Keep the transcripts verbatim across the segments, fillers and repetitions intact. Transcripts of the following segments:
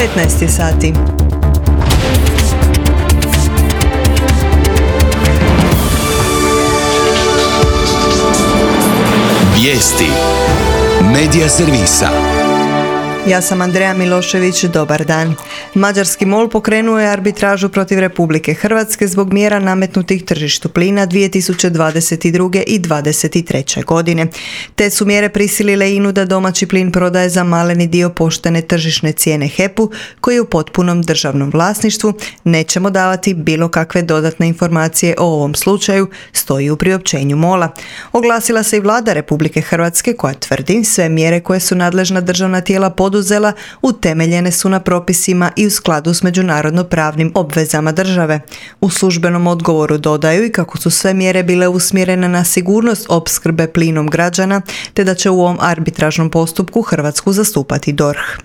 petnaest je sati. Vijesti Medija servisa. Ja sam Andreja Milošević, dobar dan. Mađarski MOL pokrenuo je arbitražu protiv Republike Hrvatske zbog mjera nametnutih tržištu plina dvije tisuće dvadeset druge. i dvadeset treće. godine. Te su mjere prisilile I N A-u da domaći plin prodaje za maleni dio poštene tržišne cijene H E P-u, koji je u potpunom državnom vlasništvu. Nećemo davati bilo kakve dodatne informacije o ovom slučaju, stoji u priopćenju MOL-a. Oglasila se i vlada Republike Hrvatske koja tvrdi sve mjere koje su nadležna državna tijela poduzela utemeljene su na propisima i u skladu s međunarodno pravnim obvezama države. U službenom odgovoru dodaju i kako su sve mjere bile usmjerene na sigurnost opskrbe plinom građana, te da će u ovom arbitražnom postupku Hrvatsku zastupati D O R H.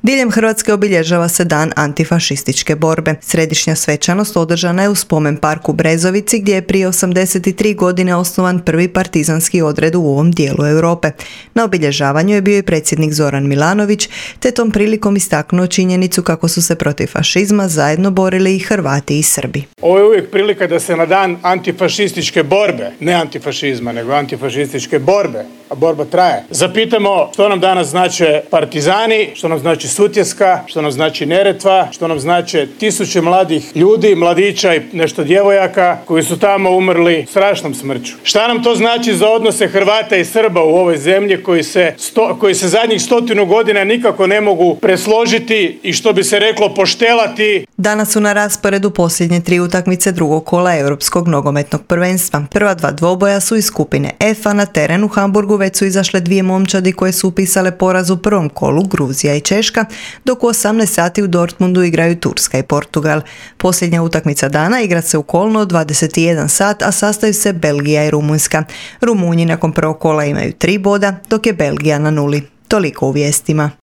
Diljem Hrvatske obilježava se Dan antifašističke borbe. Središnja svečanost održana je u spomen parku Brezovici, gdje je prije osamdeset tri godine osnovan prvi partizanski odred u ovom dijelu Europe. Na obilježavanju je bio i predsjednik Zoran Milanović, te tom prilikom istaknuo činjenicu kako su se protiv fašizma zajedno borili i Hrvati i Srbi. Ovo je uvijek prilika da se na Dan antifašističke borbe, ne antifašizma, nego antifašističke borbe, a borba traje, zapitamo što nam danas znače partizani, što nam znači Sutjeska, što nam znači Neretva, što nam znače tisuće mladih ljudi, mladića i nešto djevojaka koji su tamo umrli strašnom smrću. Šta nam to znači za odnose Hrvata i Srba u ovoj zemlji koji se, sto, koji se zadnjih stotinu godina nikako ne mogu presložiti i što bi se reklo poštelati. Danas su na rasporedu posljednje tri utakmice drugog kola Europskog nogometnog prvenstva. Prva dva dvoboja su iz skupine F, a na terenu u Hamburgu već su izašle dvije momčadi koje su upisale poraz u prvom kolu, Gruzija i Češka, dok u osamnaest sati u Dortmundu igraju Turska i Portugal. Posljednja utakmica dana igra se u Kolnu od dvadeset jedan sat, a sastaju se Belgija i Rumunjska. Rumunji nakon prvog kola imaju tri boda, dok je Belgija na nuli. Toliko u vijestima.